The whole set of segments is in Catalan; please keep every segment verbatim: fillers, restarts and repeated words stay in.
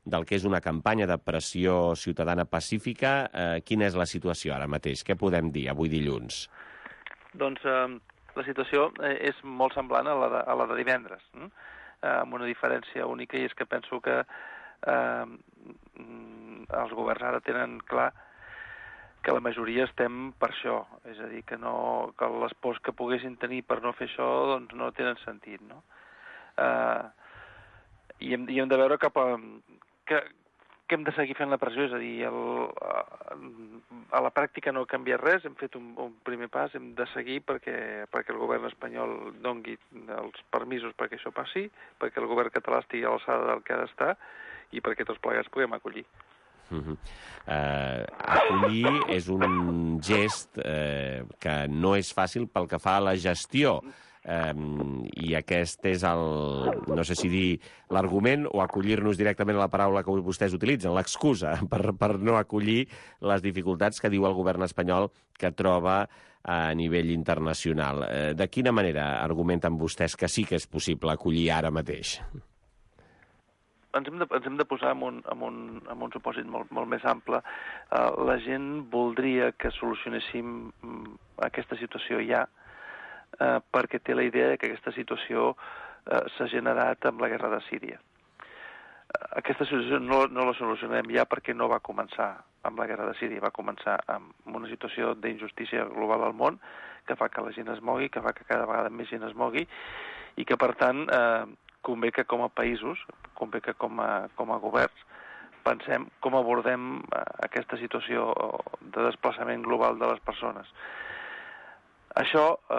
del que és una campanya de pressió ciutadana pacífica. Eh, quina és la situació ara mateix? Què podem dir avui dilluns? Doncs eh, la situació és molt semblant a la de, a la de divendres, eh? amb una diferència única, i és que penso que eh, els governs ara tenen clar que la majoria estem per això, és a dir, que, no, que les pors que poguessin tenir per no fer això doncs no tenen sentit, no? Eh, i, hem, I hem de veure cap a... Que, que hem de seguir fent la pressió, és a dir, el, a la pràctica no ha canviat res, hem fet un, un primer pas, hem de seguir perquè, perquè el govern espanyol dongui els permisos perquè això passi, perquè el govern català estigui a l'alçada del que ha d'estar i perquè tots plegats puguem acollir. Uh-huh. Uh, acollir és un gest uh, que no és fàcil pel que fa a la gestió. Um, i aquest és el, no sé si dir l'argument o acollir-nos directament a la paraula que vostès utilitzen, l'excusa per, per no acollir les dificultats que diu el govern espanyol que troba a nivell internacional. Uh, de quina manera argumenten vostès que sí que és possible acollir ara mateix? Ens hem de, ens hem de posar en un, en un, en un supòsit molt, molt més ample. Uh, la gent voldria que solucionéssim aquesta situació ja, Uh, perquè té la idea que aquesta situació uh, s'ha generat amb la guerra de Síria. Uh, aquesta situació no, no la solucionem ja perquè no va començar amb la guerra de Síria, va començar amb una situació d'injustícia global al món que fa que la gent es mogui, que fa que cada vegada més gent es mogui i que, per tant, uh, convé que com a països, convé que com a, com a governs, pensem com abordem uh, aquesta situació de desplaçament global de les persones. Això eh,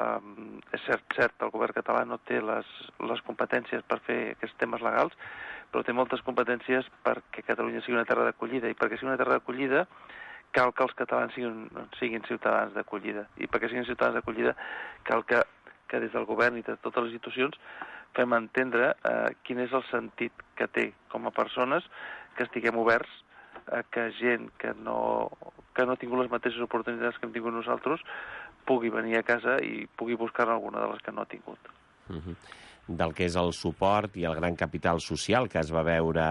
eh, és cert, cert, el govern català no té les, les competències per fer aquests temes legals, però té moltes competències perquè Catalunya sigui una terra d'acollida, i perquè sigui una terra d'acollida cal que els catalans siguin, siguin ciutadans d'acollida, i perquè siguin ciutadans d'acollida cal que, que des del govern i de totes les institucions fem entendre eh, quin és el sentit que té com a persones que estiguem oberts a que gent que no, que no ha tingut les mateixes oportunitats que hem tingut nosaltres pugui venir a casa i pugui buscar alguna de les que no ha tingut. Uh-huh. Del que és el suport i el gran capital social que es va veure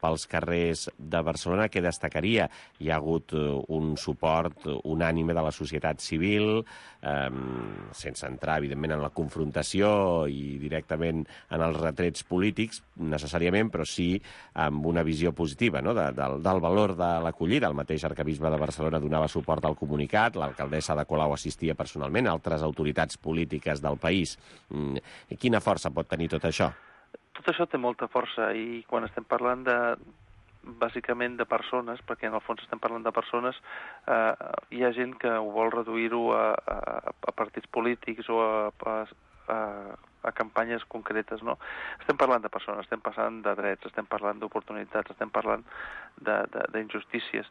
pels carrers de Barcelona, què destacaria? Hi ha hagut un suport unànime de la societat civil, eh, sense entrar, evidentment, en la confrontació i directament en els retrets polítics, necessàriament, però sí amb una visió positiva, no?, de, del, del valor de l'acollida. El mateix arquebisbe de Barcelona donava suport al comunicat, l'alcaldessa de Colau assistia personalment, altres autoritats polítiques del país. Quina força pot tenir tot això? Tot això té molta força, i quan estem parlant de, bàsicament de persones, perquè en el fons estem parlant de persones, eh, hi ha gent que ho vol reduir-ho a, a, a partits polítics o a, a, a campanyes concretes, no? Estem parlant de persones, estem parlant de drets, estem parlant d'oportunitats, estem parlant d'injustícies,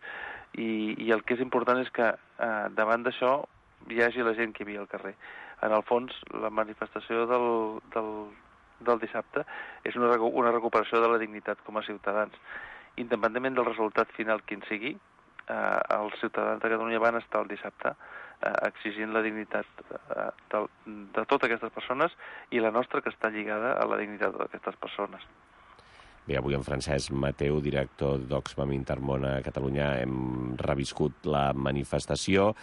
i, i el que és important és que eh, davant d'això hi hagi la gent que hi havia al carrer. En el fons, la manifestació del, del del dissabte és una, una recuperació de la dignitat com a ciutadans. Independentment del resultat final quin sigui, eh, els ciutadans de Catalunya van estar el dissabte eh, exigint la dignitat eh, de, de totes aquestes persones i la nostra, que està lligada a la dignitat d'aquestes persones. Bé, avui en Francesc Mateu, director d'Oxfam Intermón a Catalunya, hem reviscut la manifestació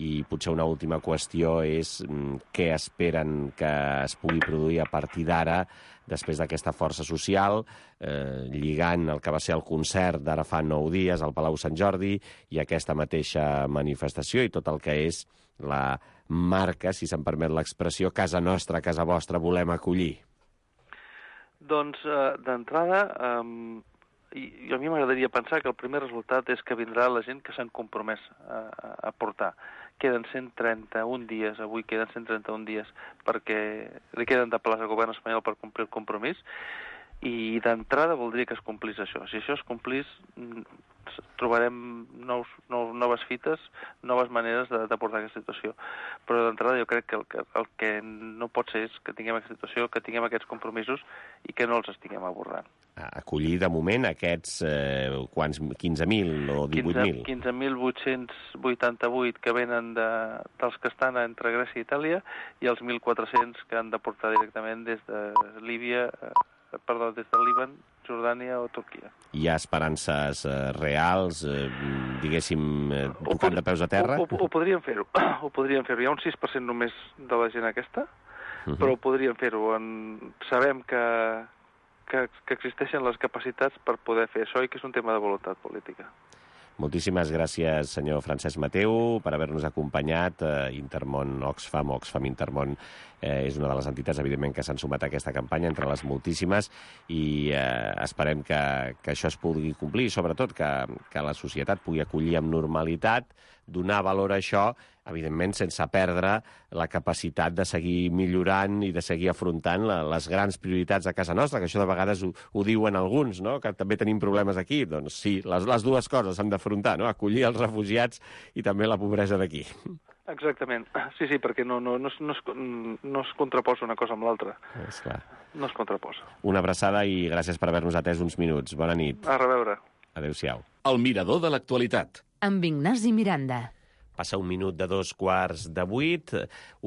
i potser una última qüestió és què esperen que es pugui produir a partir d'ara, després d'aquesta força social, eh, lligant el que va ser el concert d'ara fa nou dies al Palau Sant Jordi i aquesta mateixa manifestació i tot el que és la marca, si se'm permet l'expressió, casa nostra, casa vostra, volem acollir. Doncs, eh, d'entrada, eh, i, i a mi m'agradaria pensar que el primer resultat és que vindrà la gent que s'han compromès a, a portar. Queden cent trenta-un dies, avui queden cent trenta-un dies perquè li queden de plaç al govern espanyol per complir el compromís, i d'entrada voldria que es complís això. Si això es complís, trobarem nous, nous, noves fites, noves maneres de, de portar aquesta situació. Però d'entrada jo crec que el, que el que no pot ser és que tinguem aquesta situació, que tinguem aquests compromisos i que no els estiguem abordant. Acollir de moment aquests eh, quants, quinze mil o divuit mil? quinze mil vuit-cents vuitanta-vuit que venen de, dels que estan entre Grècia i Itàlia, i els mil quatre-cents que han de portar directament des de Líbia, eh, perdó, des del Líban Jordània o Turquia. Hi ha esperances eh, reals, eh, diguéssim, eh, tocant de peus a terra? Ho, ho, ho podríem fer-ho, ho podríem fer-ho. Hi ha un sis per cent només de la gent aquesta, Uh-huh. però ho podríem fer-ho. En... Sabem que, que, que existeixen les capacitats per poder fer això i que és un tema de voluntat política. Moltíssimes gràcies, senyor Francesc Mateu, per haver-nos acompanyat. Eh, Intermón Oxfam, Oxfam Intermón, eh, és una de les entitats, evidentment, que s'han sumat a aquesta campanya, entre les moltíssimes, i eh, esperem que, que això es pugui complir, sobretot que, que la societat pugui acollir amb normalitat, donar valor a això, evidentment sense perdre la capacitat de seguir millorant i de seguir afrontant la, les grans prioritats de casa nostra, que això de vegades ho, ho diuen alguns, no? Que també tenim problemes aquí. Doncs sí, les, les dues coses s'han d'afrontar, no? Acollir els refugiats i també la pobresa d'aquí. Exactament. Sí, sí, perquè no, no, no, es, no, es, no es contraposa una cosa amb l'altra. És clar. No es contraposa. Una abraçada i gràcies per haver-nos atès uns minuts. Bona nit. A reveure. Adéu-siau. El mirador de l'actualitat. Amb Ignasi Miranda. Passa un minut de dos quarts de vuit.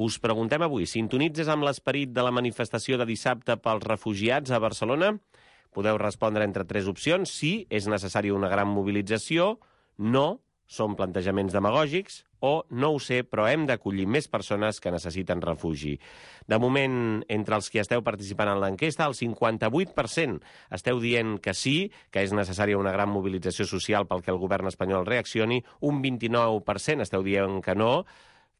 Us preguntem avui, sintonitzes amb l'esperit de la manifestació de dissabte pels refugiats a Barcelona? Podeu respondre entre tres opcions. Sí, és necessària una gran mobilització. No, són plantejaments demagògics. O no ho sé, però hem d'acollir més persones que necessiten refugi. De moment, entre els que esteu participant en l'enquesta, el cinquanta-vuit per cent esteu dient que sí, que és necessària una gran mobilització social pel que el govern espanyol reaccioni, un vint-i-nou per cent esteu dient que no,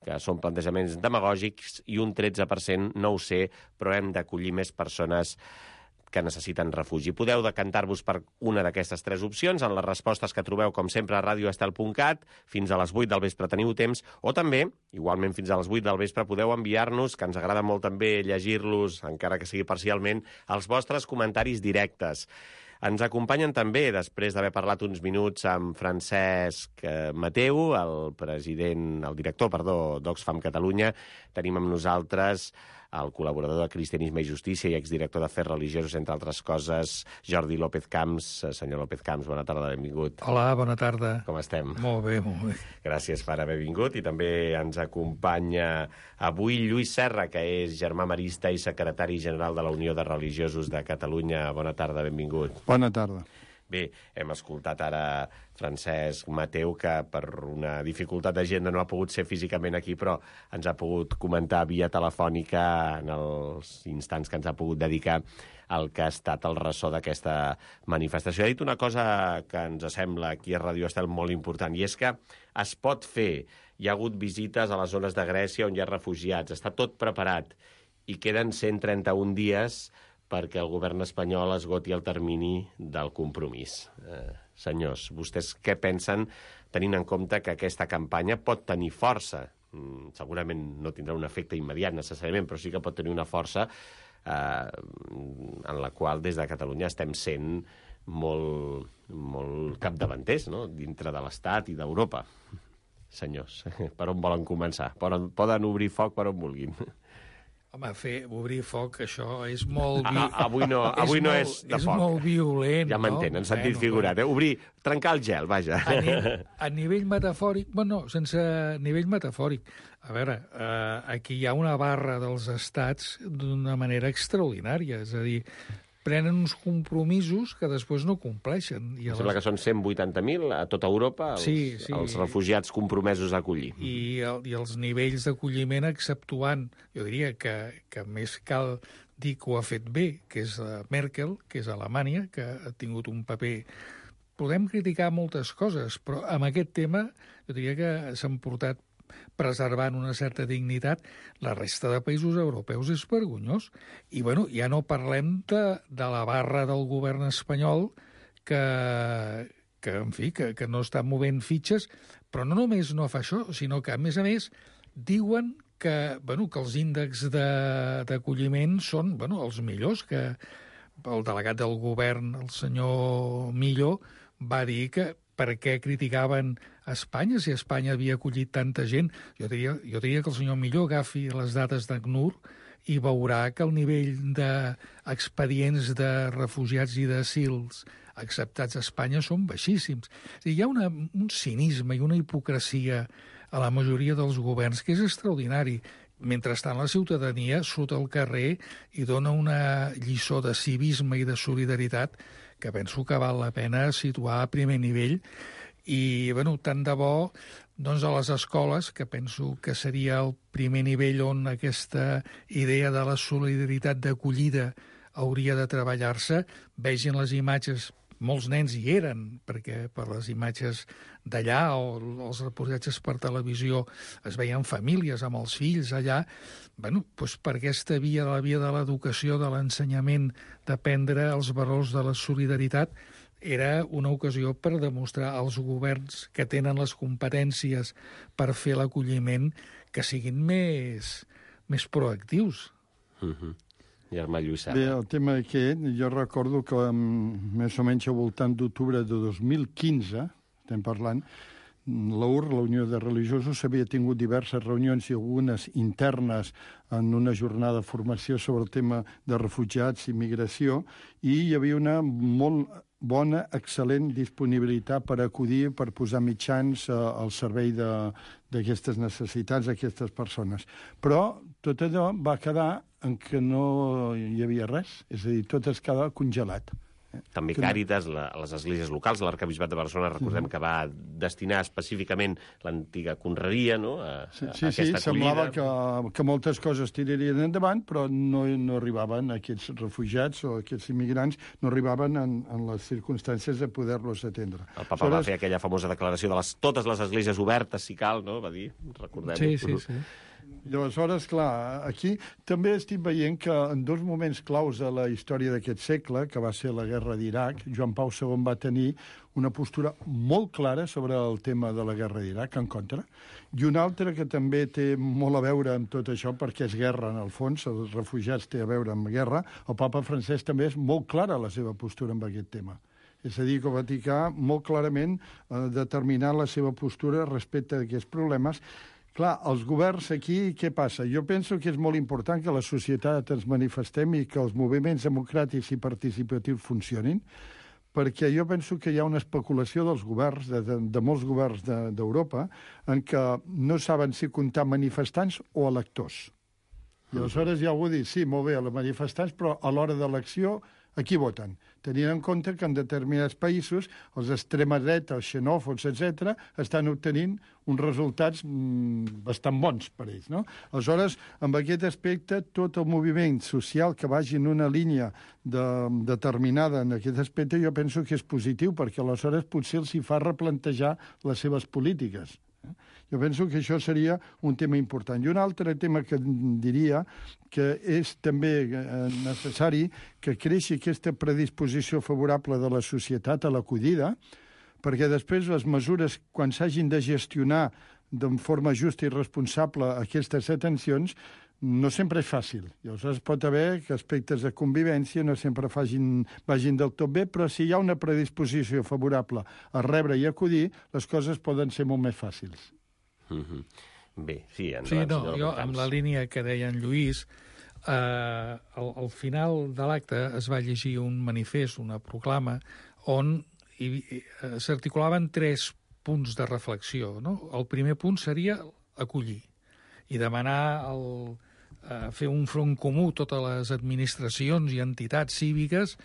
que són plantejaments demagògics, i un tretze per cent no ho sé, però hem d'acollir més persones que necessiten refugi. Podeu decantar-vos per una d'aquestes tres opcions en les respostes que trobeu, com sempre, a radio estel punt cat. Fins a les vuit del vespre teniu temps, o també, igualment fins a les vuit del vespre, podeu enviar-nos, que ens agrada molt també llegir-los, encara que sigui parcialment, els vostres comentaris directes. Ens acompanyen també, després d'haver parlat uns minuts amb Francesc Mateu, el president, el director, perdó, d'Oxfam Catalunya, tenim amb nosaltres el col·laborador de Cristianisme i Justícia i exdirector d'Afers Religiosos, entre altres coses, Jordi López Camps. Senyor López Camps, bona tarda, benvingut. Hola, bona tarda. Com estem? Molt bé, molt bé. Gràcies per haver vingut. I també ens acompanya avui Lluís Serra, que és germà marista i secretari general de la Unió de Religiosos de Catalunya. Bona tarda, benvingut. Bona tarda. Bé, hem escoltat ara Francesc Mateu, que per una dificultat d'agenda no ha pogut ser físicament aquí, però ens ha pogut comentar via telefònica en els instants que ens ha pogut dedicar al que ha estat el ressò d'aquesta manifestació. Ha dit una cosa que ens sembla aquí a Radio Estel molt important, i és que es pot fer. Hi ha hagut visites a les zones de Grècia on hi ha refugiats, està tot preparat, i queden cent trenta-un dies perquè el govern espanyol esgoti el termini del compromís. Eh, senyors, vostès què pensen, tenint en compte que aquesta campanya pot tenir força? Mm, segurament no tindrà un efecte immediat necessàriament, però sí que pot tenir una força eh, en la qual des de Catalunya estem sent molt, molt capdavanters, no?, dintre de l'Estat i d'Europa. Senyors, per on volen començar? Poden, poden obrir foc per on vulguin. Home, fer, obrir foc, això és molt... Vi... Ah, avui no, avui és no molt, és de és foc. És molt violent, ja m'entén, no? en sentit bueno, figurat. Eh? Obrir, trencar el gel, vaja. A, ni, a nivell metafòric... Bueno, sense nivell metafòric. A veure, eh, aquí hi ha una barra dels estats d'una manera extraordinària. És a dir, prenen uns compromisos que després no compleixen. I Sembla les... que són cent vuitanta mil a tota Europa els, sí, sí. els refugiats compromesos a acollir. I, el, i els nivells d'acolliment exceptuant, jo diria que, que més cal dir que ho ha fet bé, que és Merkel, que és Alemanya, que ha tingut un paper... Podem criticar moltes coses, però amb aquest tema jo diria que s'han portat preservant una certa dignitat. La resta de països europeus és vergonyós. I, bueno, ja no parlem de, de la barra del govern espanyol que, que en fi, que, que no està movent fitxes, però no només no fa això, sinó que, a més a més, diuen que, bueno, que els índexs d'acolliment són, bueno, els millors, que el delegat del govern, el senyor Millo, va dir que per què criticaven a Espanya si Espanya havia acollit tanta gent. Jo diria, jo diria que el senyor Millo agafi les dades d'ACNUR i veurà que el nivell d'expedients de refugiats i d'asils acceptats a Espanya són baixíssims. És a dir, hi ha una, un cinisme i una hipocresia a la majoria dels governs que és extraordinari. Mentrestant, la ciutadania surt al carrer i dona una lliçó de civisme i de solidaritat que penso que val la pena situar a primer nivell. I, bueno, tant de bo doncs, a les escoles, que penso que seria el primer nivell on aquesta idea de la solidaritat d'acollida hauria de treballar-se, vegin les imatges. Molts nens hi eren, perquè per les imatges d'allà o els reportatges per televisió es veien famílies amb els fills allà. Bueno, doncs per aquesta via, la via de l'educació, de l'ensenyament, d'aprendre els valors de la solidaritat, era una ocasió per demostrar als governs que tenen les competències per fer l'acolliment que siguin més, més proactius. Mm-hmm. Germà Lluïssà. Bé, el tema aquest, jo recordo que més o menys al voltant d'octubre de dos mil quinze, estem parlant, la U R, la Unió de Religiosos, havia tingut diverses reunions i algunes internes en una jornada de formació sobre el tema de refugiats i migració, i hi havia una molt bona, excel·lent disponibilitat per acudir, per posar mitjans al servei d'aquestes necessitats, d'aquestes persones. Però tot allò va quedar en què no hi havia res, és a dir, tot es quedava congelat. També Càritas, la, les esglésies locals, l'Arquebisbat de Barcelona, recordem que va destinar específicament l'antiga conreria, no?, a, sí, a sí, aquesta sí, acollida. semblava que, que moltes coses tirarien endavant, però no, no arribaven aquests refugiats o aquests immigrants, no arribaven en, en les circumstàncies de poder-los atendre. El papa Aleshores... va fer aquella famosa declaració de les, totes les esglésies obertes, si cal, no?, va dir, recordem-ho. Sí, sí, sí. I aleshores, clar, aquí també estic veient que en dos moments claus de la història d'aquest segle, que va ser la guerra d'Iraq, Joan Pau segon va tenir una postura molt clara sobre el tema de la guerra d'Iraq, en contra, i una altra que també té molt a veure amb tot això, perquè és guerra, en el fons, els refugiats té a veure amb guerra. El papa Francesc també és molt clara la seva postura amb aquest tema. És a dir, que el Vaticà molt clarament ha determinat la seva postura respecte a aquests problemes. Clar, els governs aquí, què passa? Jo penso que és molt important que la societat ens manifestem i que els moviments democràtics i participatius funcionin, perquè jo penso que hi ha una especulació dels governs, de, de, de molts governs d'Europa, de, en què no saben si comptar manifestants o electors. I aleshores hi ha algú que diu, sí, molt bé, els manifestants, però a l'hora de l'acció, a qui voten? Tenint en compte que en determinats països els extrema dreta, els xenòfobs, etcètera, estan obtenint uns resultats mmm, bastant bons per ells, no? Aleshores, amb aquest aspecte, tot el moviment social que vagi en una línia de, determinada en aquest aspecte, jo penso que és positiu, perquè aleshores potser els hi fa replantejar les seves polítiques. Jo penso que això seria un tema important. I un altre tema que diria que és també necessari que creixi aquesta predisposició favorable de la societat a l'acollida, perquè després les mesures, quan s'hagin de gestionar de forma justa i responsable aquestes atencions, no sempre és fàcil. I aleshores pot haver que aspectes de convivència no sempre facin, vagin del tot bé, però si hi ha una predisposició favorable a rebre i acollir, les coses poden ser molt més fàcils. Mm-hmm. Bé, sí, en sí, no, jo, amb la línia que deia en Lluís, eh, al, al final de l'acte es va llegir un manifest, una proclama, on hi, hi, s'articulaven tres punts de reflexió, no? El primer punt seria acollir i demanar el, eh, fer un front comú totes les administracions i entitats cíviques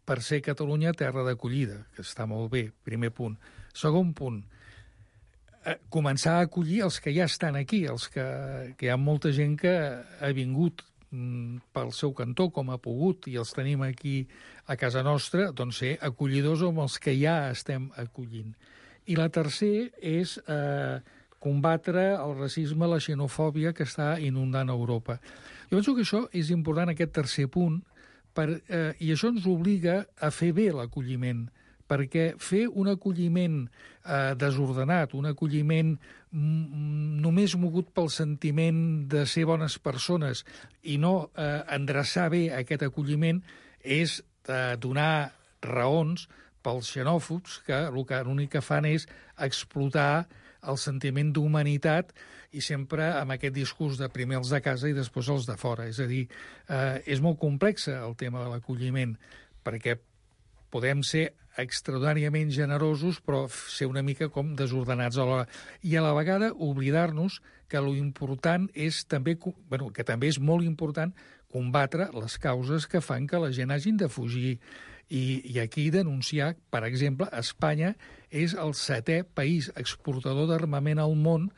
per ser Catalunya terra d'acollida, que està molt bé, primer punt. Segon punt, eh, començar a acollir els que ja estan aquí, els que, que hi ha molta gent que ha vingut mm, pel seu cantó com ha pogut i els tenim aquí a casa nostra, doncs ser acollidors amb els que ja estem acollint. I la tercera és eh, combatre el racisme, la xenofòbia que està inundant Europa. Jo penso que això és important, aquest tercer punt, per, eh, i això ens obliga a fer bé l'acolliment, perquè fer un acolliment eh, desordenat, un acolliment mm, només mogut pel sentiment de ser bones persones i no eh, endreçar bé aquest acolliment, és eh, donar raons pels xenòfobs que l'únic que fan és explotar el sentiment d'humanitat i sempre amb aquest discurs de primer els de casa i després els de fora. És a dir, eh, és molt complex el tema de l'acolliment, perquè podem ser extraordinàriament generosos, però ser una mica com desordenats alhora. I a la vegada oblidar-nos que lo important és també, bueno, que també és molt important combatre les causes que fan que la gent hagin de fugir I, i aquí denunciar, per exemple, Espanya és el setè país exportador d'armament al món,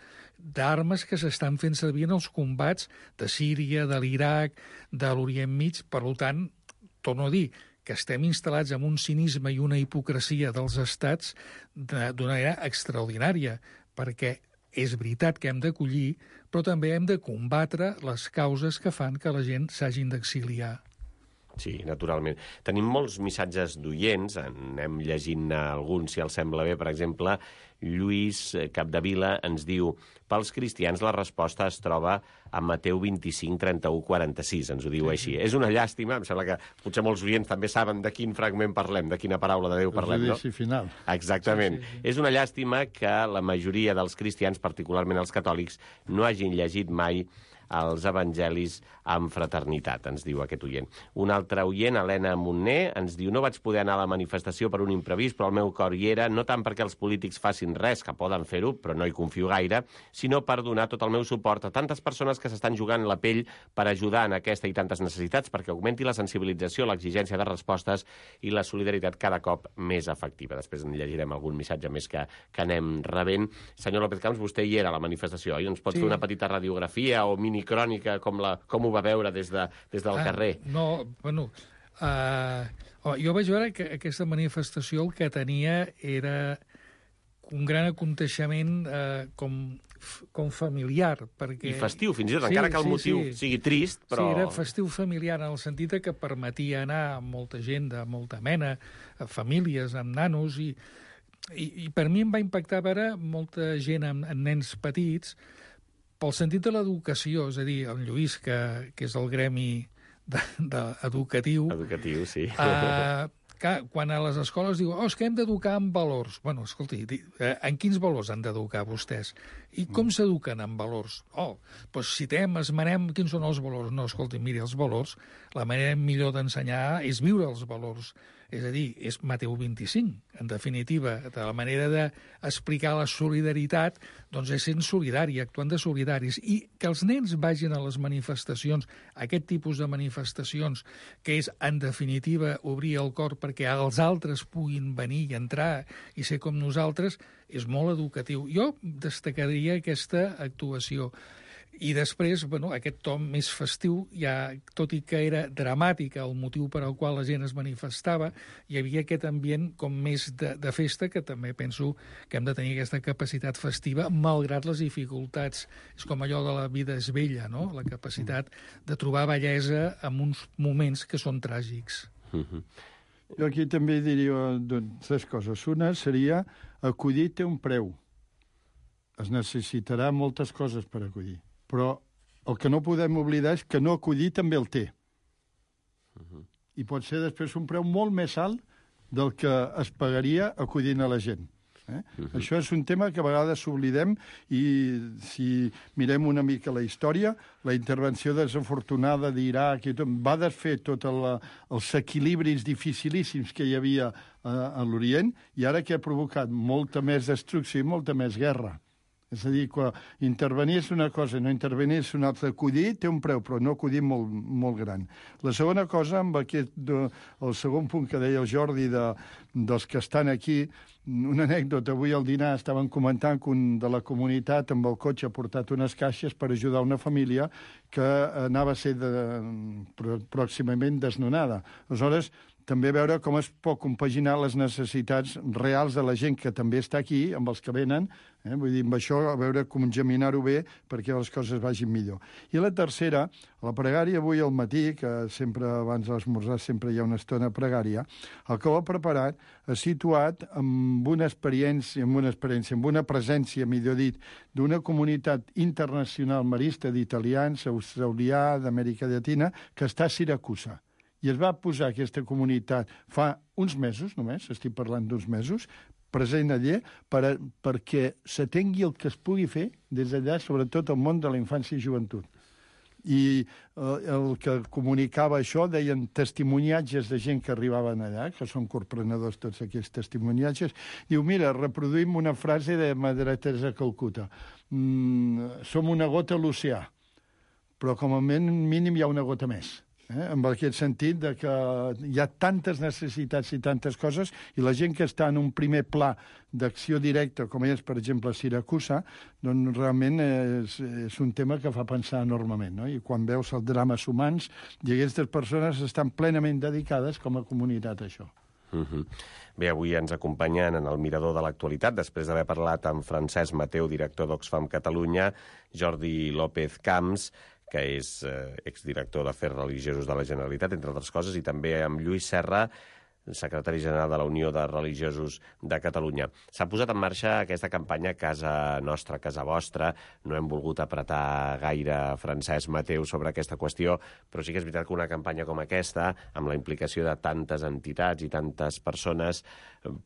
d'armes que s'estan fent servir en els combats de Síria, de l'Iraq, de l'Orient Mig. Per tant, torno a dir, que estem instal·lats en un cinisme i una hipocresia dels estats d'una manera extraordinària, perquè és veritat que hem d'acollir, però també hem de combatre les causes que fan que la gent s'hagin d'exiliar. Sí, naturalment. Tenim molts missatges d'oients, anem llegint alguns, si els sembla bé. Per exemple, Lluís Capdevila ens diu: pels cristians la resposta es troba a Mateu vint-i-cinc, trenta-u, quaranta-sis, ens ho diu així. És una llàstima, em sembla que potser molts oients també saben de quin fragment parlem, de quina paraula de Déu parlem, no? El judici final. Exactament. Sí, sí, sí. És una llàstima que la majoria dels cristians, particularment els catòlics, no hagin llegit mai els evangelis amb fraternitat, ens diu aquest oient. Un altre oient, Helena Montner, ens diu: no vaig poder anar a la manifestació per un imprevist, però el meu cor hi era, no tant perquè els polítics facin res, que poden fer-ho, però no hi confio gaire, sinó per donar tot el meu suport a tantes persones que s'estan jugant la pell per ajudar en aquesta i tantes necessitats, perquè augmenti la sensibilització, l'exigència de respostes i la solidaritat cada cop més efectiva. Després en llegirem algun missatge més que, que anem rebent. Senyor López Camps, vostè hi era a la manifestació, oi? Ens pot Sí. fer una petita radiografia o mini crònica, com, la, com ho va veure des, de, des del Ah, carrer? No, bueno, uh, oh, jo vaig veure que aquesta manifestació el que tenia era un gran aconteixement uh, com, com familiar. Perquè... I festiu, fins i tot, Sí, encara que el sí, motiu sí. sigui trist, però... Sí, era festiu familiar, en el sentit que permetia anar amb molta gent de molta mena, a famílies, amb nanos, i, i, i per mi em va impactar veure molta gent amb, amb nens petits, pel sentit de l'educació, és a dir, el Lluís, que, que és el gremi de, de, educatiu, Educatiu, sí. uh, que quan a les escoles diu oh, és que hem d'educar en valors. Bueno, escolti, di, eh, en quins valors han d'educar vostès? I com s'eduquen en valors? Oh, doncs citem, esmenem quins són els valors. No, escolti, miri, els valors, la manera millor d'ensenyar és viure els valors. És a dir, és Mateu vint-i-cinc, en definitiva. De la manera d'explicar la solidaritat, doncs és sent solidari, actuant de solidaris. I que els nens vagin a les manifestacions, aquest tipus de manifestacions, que és, en definitiva, obrir el cor perquè els altres puguin venir i entrar i ser com nosaltres, és molt educatiu. Jo destacaria aquesta actuació. I després, bueno, aquest tom més festiu, ja, tot i que era dramàtic el motiu per al qual la gent es manifestava, hi havia aquest ambient com més de, de festa, que també penso que hem de tenir aquesta capacitat festiva, malgrat les dificultats. És com allò de la vida és bella, no? La capacitat de trobar bellesa en uns moments que són tràgics. Uh-huh. Jo aquí també diria doncs, tres coses. Una seria acudir té un preu. Es necessitarà moltes coses per acudir. Però el que no podem oblidar és que no acudir també el té. Uh-huh. I pot ser després un preu molt més alt del que es pagaria acudint a la gent. Eh? Uh-huh. Això és un tema que a vegades s'oblidem i si mirem una mica la història, la intervenció desafortunada d'Iraq i tot, va desfer tots els equilibris dificilíssims que hi havia a, a l'Orient i ara que ha provocat molta més destrucció i molta més guerra. És a dir, que intervenir és una cosa, no intervenir és una altra. Acudir té un preu, però no acudir molt, molt gran. La segona cosa, amb aquest, de, el segon punt que deia el Jordi de, dels que estan aquí, una anècdota, avui al dinar estaven comentant que un de la comunitat amb el cotxe ha portat unes caixes per ajudar una família que anava a ser de, pròximament desnonada. Aleshores, també veure com es pot compaginar les necessitats reals de la gent que també està aquí, amb els que venen, eh? Vull dir, amb això, a veure com geminar-ho bé perquè les coses vagin millor. I la tercera, la pregària avui al matí, que sempre abans de l'esmorzar sempre hi ha una estona pregària, el que ho ha preparat ha situat amb una experiència, amb una experiència, amb una presència, millor dit, d'una comunitat internacional marista d'italians, australià, d'Amèrica Llatina, que està a Siracusa. I es va posar aquesta comunitat fa uns mesos, només, estic parlant d'uns mesos, present allà, per a, perquè s'atengui el que es pugui fer des d'allà, sobretot el món de la infància i joventut. I eh, el que comunicava això, deien testimoniatges de gent que arribaven allà, que són corprenedors tots aquests testimoniatges, diu, mira, reproduïm una frase de Madre Teresa Calcuta. Mm, som una gota a l'oceà, però com a mínim hi ha una gota més. Eh? En aquest sentit de que hi ha tantes necessitats i tantes coses i la gent que està en un primer pla d'acció directa, com és, per exemple, Siracusa, doncs realment és, és un tema que fa pensar enormement, no? I quan veus els drames humans, i aquestes persones estan plenament dedicades com a comunitat a això. Uh-huh. Bé, avui ens acompanyen en el Mirador de l'Actualitat, després d'haver parlat amb Francesc Mateu, director d'Oxfam Catalunya, Jordi López Camps, que és eh, exdirector d'Afers Religiosos de la Generalitat, entre altres coses, i també amb Lluís Serra, secretari general de la Unió de Religiosos de Catalunya. S'ha posat en marxa aquesta campanya Casa Nostra, Casa Vostra. No hem volgut apretar gaire Francesc Mateu sobre aquesta qüestió, però sí que és veritat que una campanya com aquesta, amb la implicació de tantes entitats i tantes persones,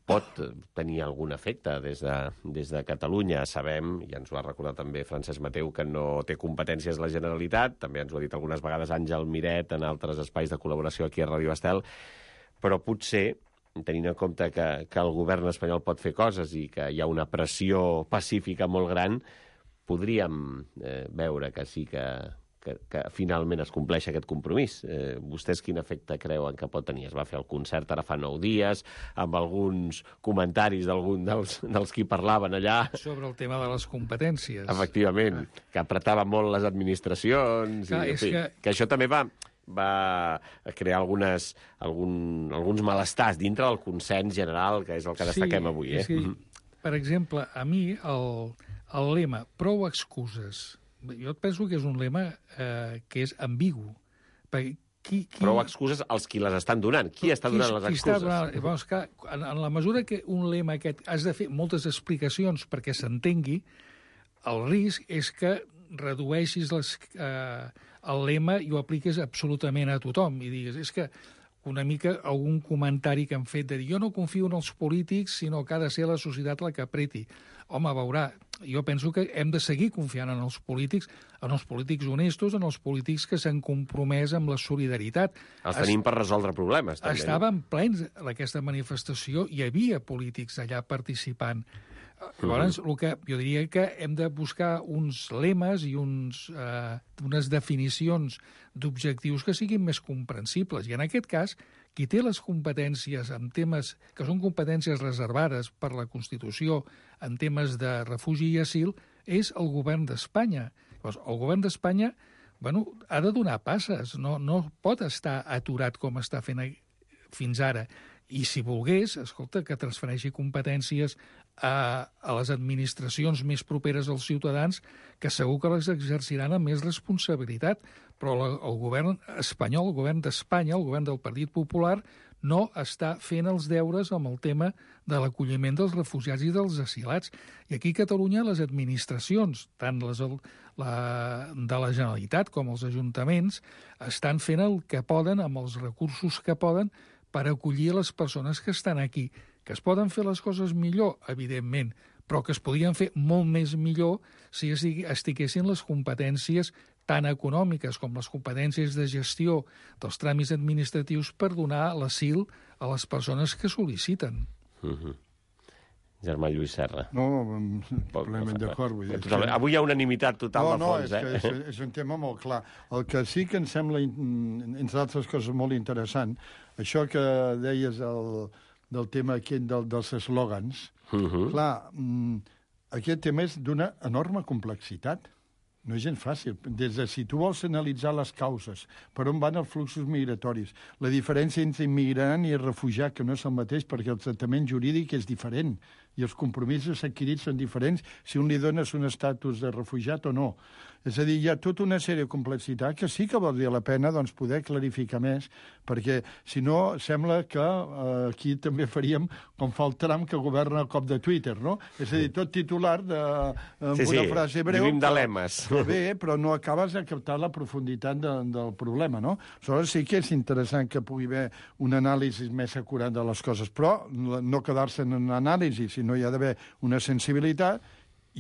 pot tenir algun efecte des de, des de Catalunya. Sabem, i ens ho ha recordat també Francesc Mateu, que no té competències la Generalitat, també ens ho ha dit algunes vegades Àngel Miret en altres espais de col·laboració aquí a Ràdio Estel, però potser, tenint en compte que, que el govern espanyol pot fer coses i que hi ha una pressió pacífica molt gran, podríem eh, veure que sí que, que, que finalment es compleix aquest compromís. Eh, vostès quin efecte creuen que pot tenir? Es va fer el concert ara fa nou dies, amb alguns comentaris d'algun dels, dels qui parlaven allà. Sobre el tema de les competències. Efectivament, ah. que apretava molt les administracions. Clar, i, en fi, que... que això també va... va crear algunes, algun, alguns malestars dintre del consens general, que és el que destaquem sí, avui. Eh? Sí, per exemple, a mi el, el lema prou excuses, jo penso que és un lema eh, que és ambigu. Perquè qui, qui... Prou excuses als qui les estan donant. Qui està donant qui, les excuses? Qui està donant... Llavors, que en, en la mesura que un lema aquest has de fer moltes explicacions perquè s'entengui, el risc és que redueixis les, eh, el lema i ho apliques absolutament a tothom i digues, és que una mica algun comentari que han fet de dir jo no confio en els polítics, sinó que ha de ser la societat la que apreti. Home, veurà, jo penso que hem de seguir confiant en els polítics, en els polítics honestos, en els polítics que s'han compromès amb la solidaritat. Els tenim es... per resoldre problemes, també. Estaven plens d'aquesta manifestació, hi havia polítics allà participant. Llavors, el que jo diria que hem de buscar uns lemes i uns, eh, unes definicions d'objectius que siguin més comprensibles. I en aquest cas, qui té les competències en temes que són competències reservades per la Constitució en temes de refugi i asil és el govern d'Espanya. Llavors, el govern d'Espanya bueno, ha de donar passes, no, no pot estar aturat com està fent fins ara. I si volgués, escolta, que transfereixi competències a, a les administracions més properes als ciutadans, que segur que les exerciran amb més responsabilitat. Però la, el govern espanyol, el govern d'Espanya, el govern del Partit Popular, no està fent els deures amb el tema de l'acolliment dels refugiats i dels asilats. I aquí a Catalunya les administracions, tant les la, de la Generalitat com els ajuntaments, estan fent el que poden amb els recursos que poden per acollir les persones que estan aquí. Que es poden fer les coses millor, evidentment, però que es podien fer molt més millor si estiguessin les competències tan econòmiques com les competències de gestió dels tràmits administratius per donar l'asil a les persones que sol·liciten. Mm-hmm. Germà Lluís Serra. No, plenament d'acord. Avui hi ha unanimitat total no, de fons, no, eh? És, és, és un tema molt clar. El que sí que em sembla, entre altres coses, molt interessant, això que deies el, del tema aquest del, dels eslògans, uh-huh. clar, aquest tema és d'una enorme complexitat. No és gens fàcil. Des de si tu vols analitzar les causes, per on van els fluxos migratoris, la diferència entre immigrant i refugiat, que no és el mateix perquè el tractament jurídic és diferent i els compromisos adquirits són diferents si un li dones un estatus de refugiat o no. És a dir, hi ha tota una sèrie de complexitat que sí que valdria la pena doncs, poder clarificar més, perquè si no sembla que eh, aquí també faríem com fa el Trump que governa a cop de Twitter, no? És a dir, tot titular de, amb sí, una sí, frase breu. Vivim de lemes. Bé, però no acabes de captar la profunditat de, del problema, no? Aleshores sí que és interessant que pugui haver un anàlisi més acurat de les coses, però no quedar-se en una anàlisi, sinó hi ha d'haver una sensibilitat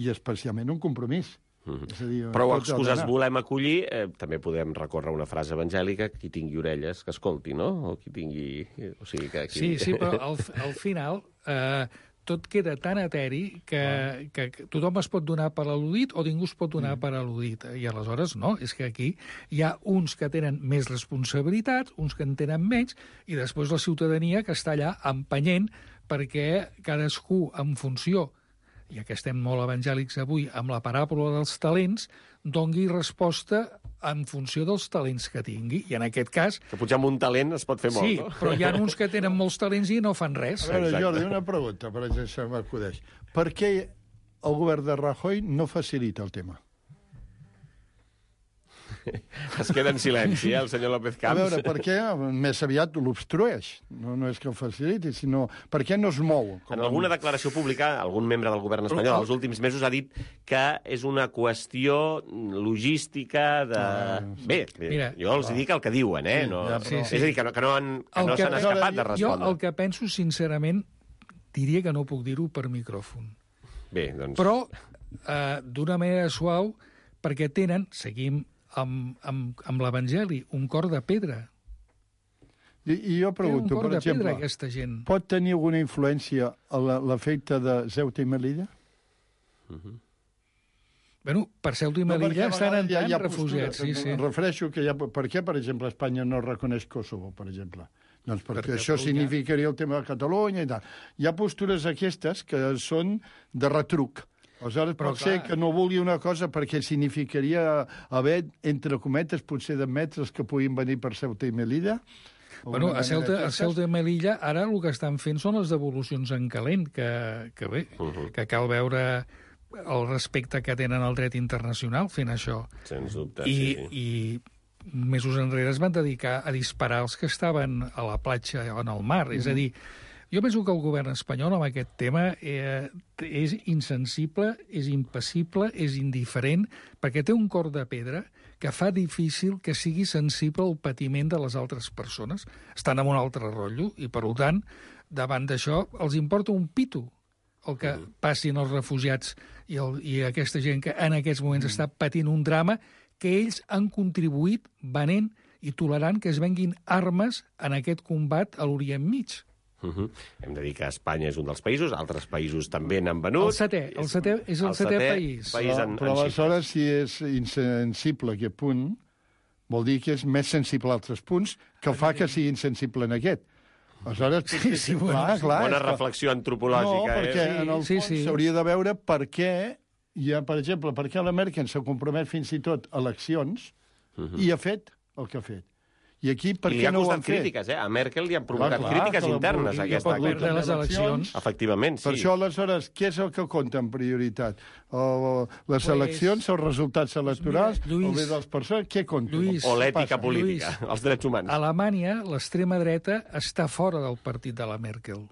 i especialment un compromís. Mm-hmm. És a dir, prou excuses volem acollir, eh, també podem recórrer una frase evangèlica, qui tingui orelles que escolti, no? O qui tingui... O sigui, que aquí... Sí, sí, però al, al final... Eh, tot queda tan eteri que, que, que tothom es pot donar per al·ludit o ningú es pot donar mm. per al·ludit. I aleshores, no, és que aquí hi ha uns que tenen més responsabilitats, uns que en tenen menys, i després la ciutadania que està allà empenyent perquè cadascú, en funció, ja que estem molt evangèlics avui, amb la paràbola dels talents, dongui resposta en funció dels talents que tingui. I en aquest cas... Que potser amb un talent es pot fer molt, sí, no? Sí, però hi ha uns que tenen molts talents i no fan res. A veure, Exacte. Jordi, una pregunta, per exemple, m'acudeix. Per què el govern de Rajoy no facilita el tema? Es queda en silenci, eh, el senyor López Camps. A veure, per què més aviat l'obstrueix? No, no és que el faciliti, sinó per què no es mou? En alguna declaració pública, algun membre del govern espanyol els últims mesos ha dit que és una qüestió logística de... Ah, sí. Bé, bé Mira, jo els dic el que diuen, eh? Sí, No... ja, però- És a dir, que no, que no, han, que El no que- s'han escapat de Jo respondre. el que penso, sincerament, diria que no puc dir-ho per micròfon. Bé, doncs... Però eh, d'una manera suau, perquè tenen, seguim amb, amb, amb l'Evangeli, un cor de pedra. I, i jo Té un pregunto, cor per de pedra, exemple, aquesta gent. pot tenir alguna influència a la- l'efecte de Ceuta i Melilla? Bueno, per Ceuta i Melilla estan entrant refugiats. Sí, sí. Em refereixo que hi ha... Per què, per exemple, Espanya no reconeix Kosovo, per exemple? Doncs perquè, Perquè això Catalunya- significaria el tema de Catalunya i tal. Hi ha postures aquestes que són de retruc. Aleshores, Però, pot ser clar- que no vulgui una cosa perquè significaria haver, entre cometes, potser d'admetre els que puguin venir per Ceuta i Melilla. Bueno, Alguna a Ceuta, manera a d'aquestes. Ceuta i Melilla ara el que estan fent són les devolucions en calent, que, que bé, Uh -huh. que cal veure el respecte que tenen al dret internacional fent això. Sens dubte, I, sí, sí. I mesos enrere es van dedicar a disparar els que estaven a la platja o en el mar. És a dir, jo penso que el govern espanyol amb aquest tema eh, és insensible, és impassible, és indiferent, perquè té un cor de pedra que fa difícil que sigui sensible al patiment de les altres persones. Estan en un altre rotllo i, per tant, davant d'això els importa un pito el que passin els refugiats i, el, i aquesta gent que en aquests moments està patint un drama que ells han contribuït venent i tolerant que es venguin armes en aquest combat a l'Orient Mig. Uh -huh. Hem de dir que Espanya és un dels països, altres països també n'han venut. El setè, el setè és el setè país. país Però, en, però en aleshores, si és insensible a aquest punt, vol dir que és més sensible a altres punts que fa que sigui insensible en aquest. Aleshores, Sí, sí, bueno, clar, sí. clar, Bona és que- reflexió antropològica, No, perquè eh? en el Sí, fons sí. s'hauria de veure per què hi ha, per exemple, per què la Merkel s'ha compromet fins i tot a eleccions i ha fet el que ha fet. I aquí per I li què ha no ho costat han fet? crítiques, eh? A Merkel li han provocat Clar, clar, crítiques que la internes, vulgui- aquesta pot perdre les eleccions. Efectivament, sí. Per això, aleshores, què és el que compta en prioritat? O les Pues- eleccions, els resultats electorals, mira, Lluís, o bé dels persones, què compta? Lluís, O Què l'ètica passa? política, els drets humans. A Alemanya, l'extrema dreta està fora del partit de la Merkel.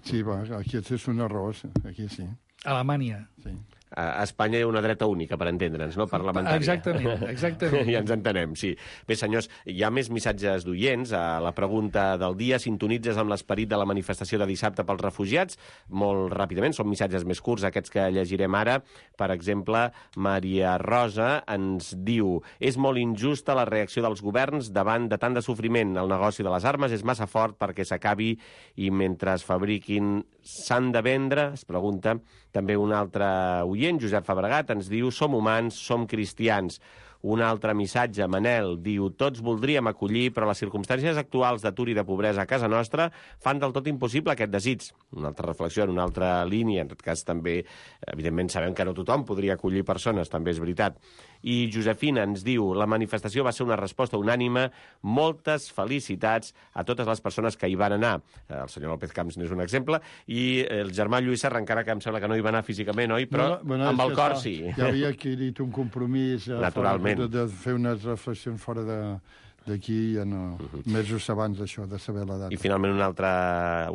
Sí, va, aquí és un error, aquí sí. A Alemanya. sí. A Espanya hi ha una dreta única, per entendre'ns, no? Parlamentària. Exactament, exactament. Ja ens entenem, sí. Bé, senyors, hi ha més missatges d'oients. A la pregunta del dia, sintonitzes amb l'esperit de la manifestació de dissabte pels refugiats? Molt ràpidament, són missatges més curts, aquests que llegirem ara. Per exemple, Maria Rosa ens diu: és molt injusta la reacció dels governs davant de tant de sofriment. El negoci de les armes és massa fort perquè s'acabi i mentre es fabriquin s'han de vendre? Es pregunta també un altre oient, Josep Fabregat, ens diu: som humans, som cristians. Un altre missatge, Manel, diu: tots voldríem acollir, però les circumstàncies actuals d'atur i de pobresa a casa nostra fan del tot impossible aquest desig. Una altra reflexió en una altra línia, en tot cas també, evidentment sabem que no tothom podria acollir persones, també és veritat. I Josefina ens diu: la manifestació va ser una resposta unànime, moltes felicitats a totes les persones que hi van anar. El senyor López Camps n'és un exemple, i el germà Lluís Serra, encara que em sembla que no hi va anar físicament, oi? Però No, no, bueno, amb és el que cor està- sí. Ja havia adquirit un compromís eh, Naturalment. de, de fer unes reflexions fora de d'aquí, ja no, mesos abans d'això, de saber la data. I finalment un altre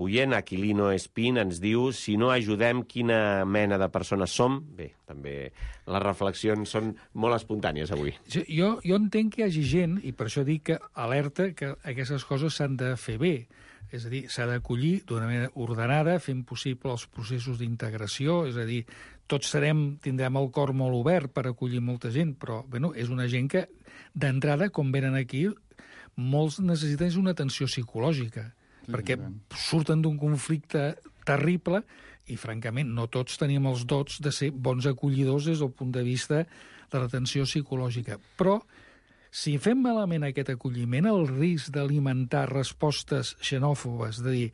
oient, Aquilino Espín, ens diu: si no ajudem, quina mena de persones som? Bé, també les reflexions són molt espontànies avui. Jo, jo, jo entenc que hi hagi gent, i per això dic que alerta que aquestes coses s'han de fer bé. És a dir, s'ha d'acollir d'una manera ordenada, fent possible els processos d'integració, és a dir, tots serem, tindrem el cor molt obert per acollir molta gent, però bueno, és una gent que, d'entrada, com venen aquí, molts necessiten una atenció psicològica, Sí, perquè sí. surten d'un conflicte terrible, i, francament, no tots tenim els dots de ser bons acollidors des del punt de vista de l'atenció psicològica. Però, si fem malament aquest acolliment, el risc d'alimentar respostes xenòfobes, de dir,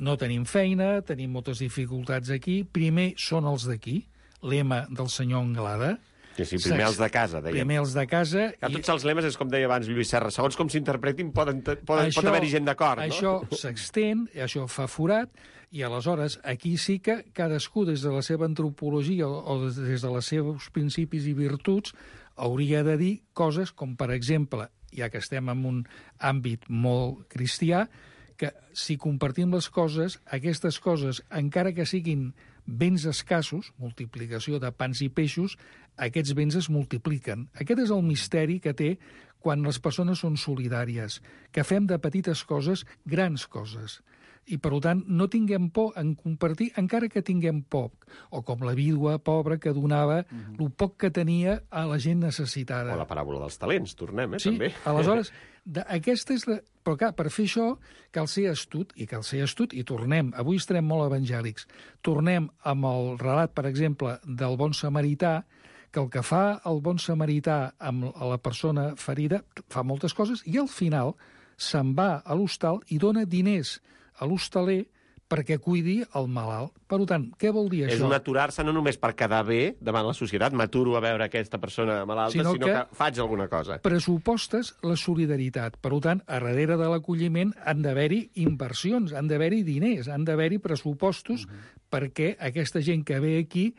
no tenim feina, tenim moltes dificultats aquí, primer són els d'aquí, lema del senyor Anglada. Sí, sí, primer els de casa, dèiem. Primer els de casa. Ja, tots els lemes, és com deia abans Lluís Serra, segons com s'interpretin poden, poden, això, pot haver-hi gent d'acord, no? Això s'extén, això fa forat, i aleshores aquí sí que cadascú des de la seva antropologia o des dels seus principis i virtuts hauria de dir coses com, per exemple, ja que estem en un àmbit molt cristià, que si compartim les coses, aquestes coses, encara que siguin béns escassos, multiplicació de pans i peixos, aquests béns es multipliquen. Aquest és el misteri que té quan les persones són solidàries, que fem de petites coses grans coses. I, per tant, no tinguem por en compartir, encara que tinguem poc. O com la vídua pobra que donava mm-hmm. el poc que tenia a la gent necessitada. O la paràbola dels talents, tornem, eh, sí, també. Aleshores, de, aquesta és la... Però, clar, per fer això cal ser astut, i cal ser astut, i tornem. Avui estarem molt evangèlics. Tornem amb el relat, per exemple, del bon samarità, que el que fa el bon samarità amb la persona ferida fa moltes coses, i al final se'n va a l'hostal i dona diners a l'hostaler perquè cuidi el malalt. Per tant, què vol dir això? És un aturar-se no només per quedar bé davant la societat, m'aturo a veure aquesta persona malalta, sinó, sinó que, que faig alguna cosa. Pressupostes la solidaritat. Per tant, a darrere de l'acolliment han d'haver-hi inversions, han d'haver-hi diners, han d'haver-hi pressupostos uh-huh. perquè aquesta gent que ve aquí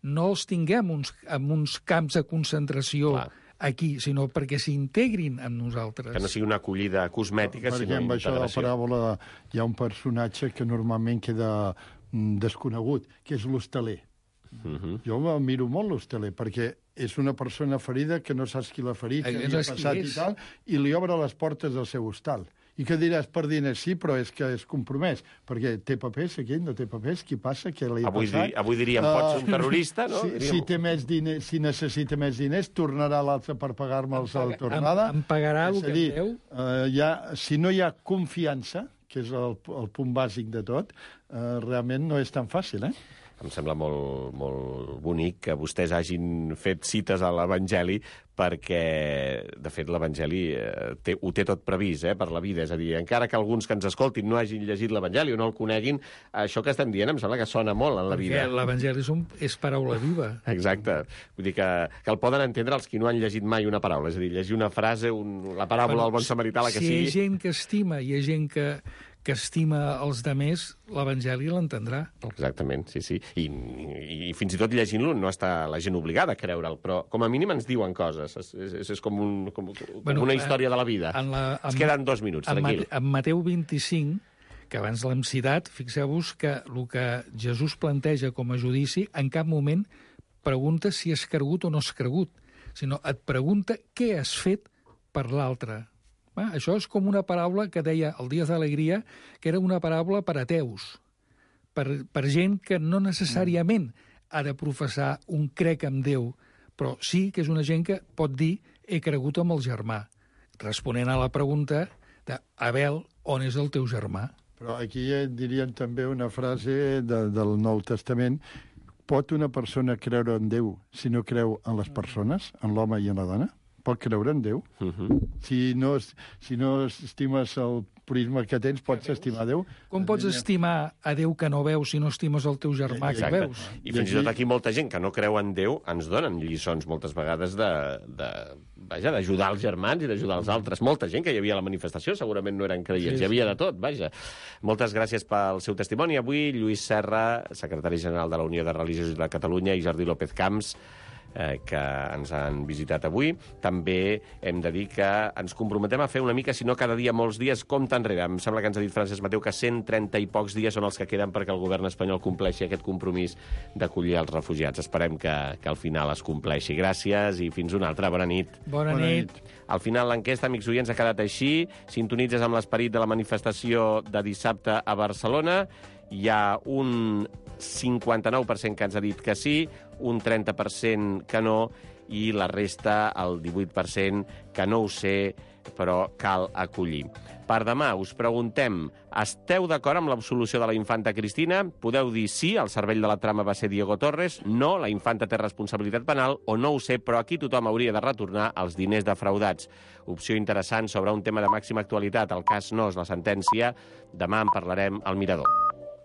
no els tinguem uns, en uns camps de concentració Clar. Aquí, sinó perquè s'integrin amb nosaltres. Que no sigui una acollida cosmètica, per sinó amb integració. Això de la paràbola hi ha un personatge que normalment queda desconegut, que és l'hostaler. Uh-huh. Jo em miro molt l'hostaler, perquè és una persona ferida que no saps qui l'ha ferit, que li ha passat i tal, i li obre les portes del seu hostal. I què diràs per diners? Sí, però és que és compromès, perquè té papers, aquell no té papers, qui passa, què li ha avui passat? Di, avui diríem, uh, pots ser un terrorista, no? Si, si, té més diners, si necessita més diners, tornarà l'altre per pagar-me'ls a la tornada. Em, em pagarà el que dir, deu? Uh, ja, si no hi ha confiança, que és el, el punt bàsic de tot, uh, realment no és tan fàcil, eh? Em sembla molt, molt bonic que vostès hagin fet cites a l'Evangeli perquè, de fet, l'Evangeli eh, té, ho té tot previst eh, per la vida. És a dir, encara que alguns que ens escoltin no hagin llegit l'Evangeli o no el coneguin, això que estem dient em sembla que sona molt en la vida. Perquè l'Evangeli és paraula viva. Exacte. Vull dir que, que el poden entendre els qui no han llegit mai una paraula. És a dir, llegir una frase, un, la paràbola del bon samarità, la que si sigui... Si hi ha gent que estima i hi ha gent que... que estima els demés, l'Evangeli l'entendrà. Exactament, sí, sí. I, i, i fins i tot llegint-lo no està la gent obligada a creure'l, però com a mínim ens diuen coses. És, és, és com, un, com, com bueno, una història de la vida. La, ens queden dos minuts, en tranquil. Mate, en Mateu vint-i-cinc, que abans l'hem citat, fixeu-vos que el que Jesús planteja com a judici en cap moment pregunta si has cregut o no has cregut, sinó et pregunta què has fet per l'altre. Ah, això és com una paraula que deia el Díaz d'Alegria, que era una paraula per ateus, per, per gent que no necessàriament ha de professar un crec en Déu, però sí que és una gent que pot dir he cregut amb el germà, responent a la pregunta de Abel, on és el teu germà? Però aquí dirien també una frase de, del Nou Testament: pot una persona creure en Déu si no creu en les persones, en l'home i en la dona? Pot creure en Déu? Uh-huh. Si no, si no estimes el prisma que tens, pots estimar Déu? Com pots estimar a Déu que no veus si no estimes el teu germà que veus? I fins i tot aquí molta gent que no creu en Déu ens donen lliçons moltes vegades de, de, vaja, d'ajudar els germans i d'ajudar els altres. Molta gent que hi havia a la manifestació segurament no eren creients, sí, sí. Hi havia de tot, vaja. Moltes gràcies pel seu testimoni. Avui, Lluís Serra, secretari general de la Unió de Religiosos de Catalunya, i Jordi López Camps, Eh, que ens han visitat avui. També hem de dir que ens comprometem a fer una mica, si no cada dia, molts dies, compte enrere. Em sembla que ens ha dit Francesc Mateu que cent trenta i pocs dies són els que queden perquè el govern espanyol compleixi aquest compromís d'acollir els refugiats. Esperem que, que al final es compleixi. Gràcies i fins una altra. Bona nit. Bona, Bona nit. nit. Al final l'enquesta, amics oients, ha quedat així. Sintonitzes amb l'esperit de la manifestació de dissabte a Barcelona. Hi ha un cinquanta-nou per cent que ens ha dit que sí, un trenta per cent que no, i la resta, el divuit per cent, que no ho sé, però cal acollir. Per demà us preguntem, esteu d'acord amb l'absolució de la infanta Cristina? Podeu dir sí, el cervell de la trama va ser Diego Torres, no, la infanta té responsabilitat penal, o no ho sé, però aquí tothom hauria de retornar els diners defraudats. Opció interessant sobre un tema de màxima actualitat, el cas Nos, la sentència. Demà en parlarem al Mirador.